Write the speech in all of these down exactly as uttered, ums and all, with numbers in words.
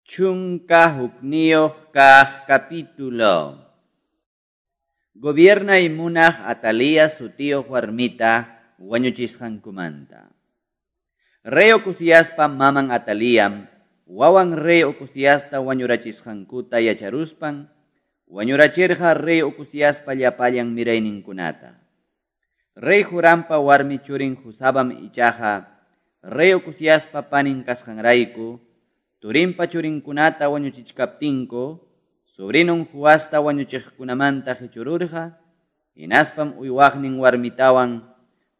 Chunka hukniyuq kaq capítulo. Gobierna munaq Atalía sutiyuq warmita wañuchisqankumanta. Rey Ocoziaspa maman Atalíam, wawan rey Ocoziasta wañurachisqankuta yacharuspan, wañurachirqa rey Ocoziaspa llapallan mirayninkunata. Rey Jorampa warmi churin Josabam ichaqa, rey Ocoziaspa panin kasqanrayku, turinpa churinkunata wañuchichkaptinku, sobrinon Joasta wañuchiqkunamanta qichururqa, hinaspam uywaqnin warmitawan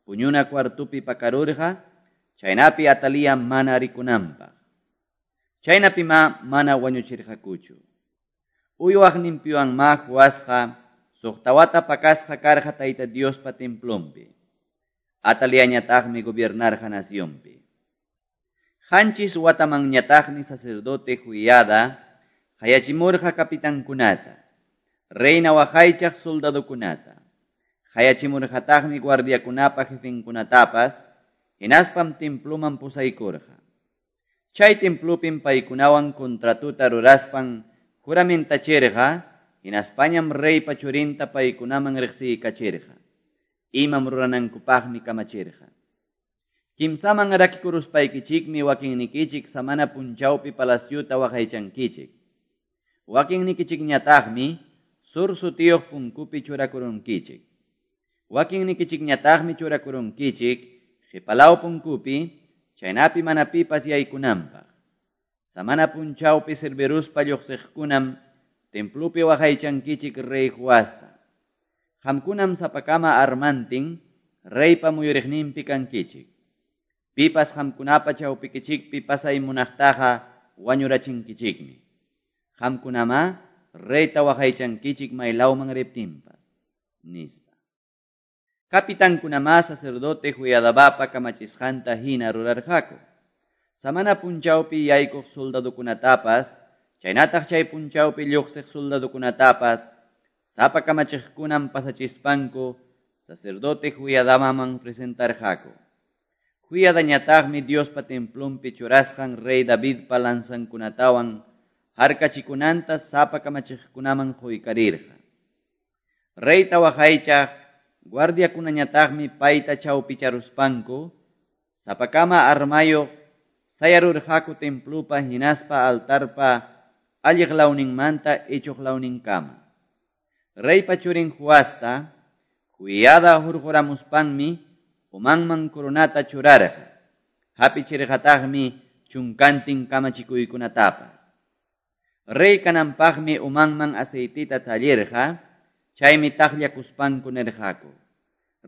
puñuna cuartupi pakarurqa, chaynapi Atalía mana rikunanpaq. Chaynapi ma mana wañuchirqakuchu. Uywaqninpiwan ma Joasqa suqta wata pakasqa karqa Tayta Diospa templonpi. Ataliañataqmi gobiernarqa nacionpi. Qanchis watamanñataqmi sacerdote Joiada qayachimurqa capitankunata, reina waqaychaq soldadokunata, qayachimurqataqmi guardiakunapa jefenkunatapas, hinaspam temploman pusaykurqa. Chay templopim paykunawan contratuta ruraspan juramentachirqa, hinaspañam reypa churinta paykunaman riqsiykachirqa. Imam ruranankupaqmi kamachirqa. Kimsaman rakikuruspaykichikmi wakinnikichik samana punchawpi palaciota waqaychankichik. Wakinnikichikñataqmi sur sutiyuq punkupi churakurunkichik. Wakinnikichikñataqmi churakurunkichik qhipalaw punkupi, chaynapi mana pipas yaykunanpaq. Samana punchawpi sirviruspa lluqsiqkunam templopi waqaychankichik rey Joasta. Qamkunam sapakama armantin reypa muyuriqninpi kankichik. Pipas qamkunapa chawpikichikpi pasay munaqtaqa wañurachinkichikmi. Qamkunama reyta waqaychankichik maylawman riptinpas, nispa. Capitankunama sacerdote Joiadabapa kamachisqanta hina rurarqaku. Samana punchawpi yaykuq soldadokunatapas, chaynataq chay punchawpi lluqsiq soldadokunatapas, sapa kamachiqkunam pasachispanku sacerdote Joiadabaman presentarqaku. Joiadañataqmi Diospa templonpi churasqan rey Davidpa lanzankunatawan harkachikunanta sapa kamachiqkunaman quykarirqa. Reyta waqaychaq guardiakunañataqmi payta chawpicharuspanku sapakama armayuq sayarurqaku templopa hinaspa altarpa alliq lawninmanta ichuq lawninkama. Reypa churin Joasta Joiada hurquramuspanmi umanman coronata churarqa, hapichirqataqmi chunkantin kamachikuykunatapas. Rey kananpaqmi umanman aceitita tallirqa, chaymi taqllakuspanku nirqaku,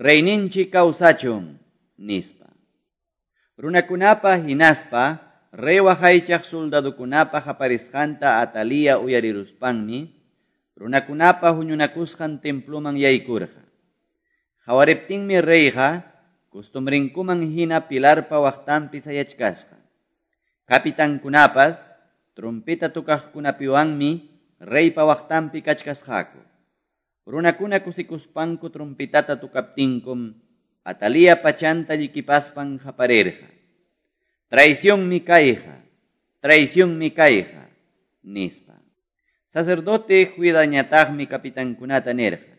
reyninchik kawsachun, nispa. Runakunapa hinaspa, rey waqaychaq soldadokunapa qaparisqanta Atalía uyariruspanmi, runakunapa huñunakusqan temploman yaykurqa. Qawariptinmi reyqa costumbrinkuman hina pilarpa waqtanpi sayachkasqa. Capitankunapas trompeta tukaqkunapiwanmi reypa waqtanpi kachkasqaku. Runakuna kusikuspanku trompetata tukaptinkum, Atalía pachanta llikipaspan qaparirqa. Traicionmi kayqa, traicionmi kayqa, nispa. Sacerdote Joiadañataqmi capitankunata nirqa.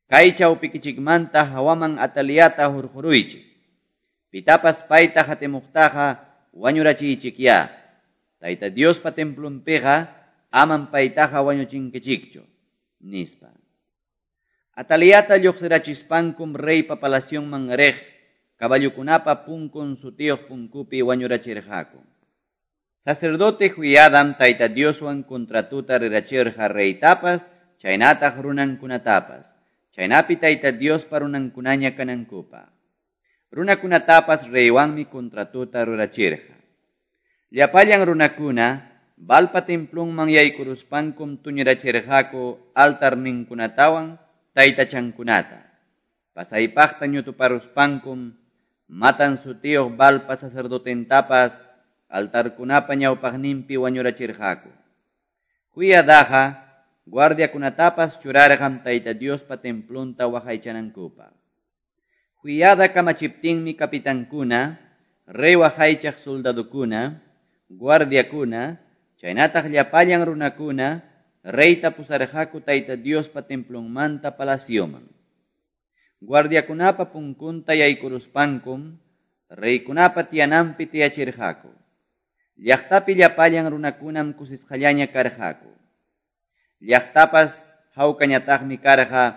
Kay chawpikichikmanta hawaman Ataliata hurquruychik. Pitapas payta hatimuqtaqa wañurachiychikyá. Tayta Diospa templonpiqa aman paytaqa wañuchinkichikchu, nispa. Ataliata lluqsirachispankum reypa palacionman riq caballokunapa punkun sutiyuq punkupi wañurachirqaku. Sacerdote Joiadam Tayta Dioswan contratuta rurachirqa reytapas, chaynataq runankunatapas. Chaynapi Tayta Diospa runankunaña kanankupaq. Runakunatapas reywanmi contratuta rurachirqa. Llapallan runakuna Balpa templonman yaykuruspankum tuñirachirqaku altarninkunatawan taytachankunata. Pasaypaqta ñutuparuspankum Matan sutiyuq Balpa sacerdotentapas altarkunapa ñawpaqninpi wañurachirqaku. Joiadaqa guardiakunatapas churarqam Tayta Diospa templonta waqaychanankupaq. Joiada kamachiptinmi capitankuna, rey waqaychaq soldadokuna, guardiakuna, chaynataq llapallan runakuna reyta pusarqaku Tayta Diospa templonmanta palacioman. Guardiakunapa punkunta yaykuruspankum reykunapa tiyananpi tiyachirqaku. Llaqtapi llapallan runakunam kusisqallaña karqaku. Llaqtapas hawkañataqmi karqa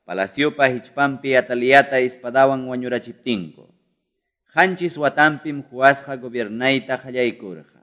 palaciopa hichpanpi Ataliata espadawan wañurachiptinku. Qanchis watanpim Joasqa gobiernayta qallaykurqa.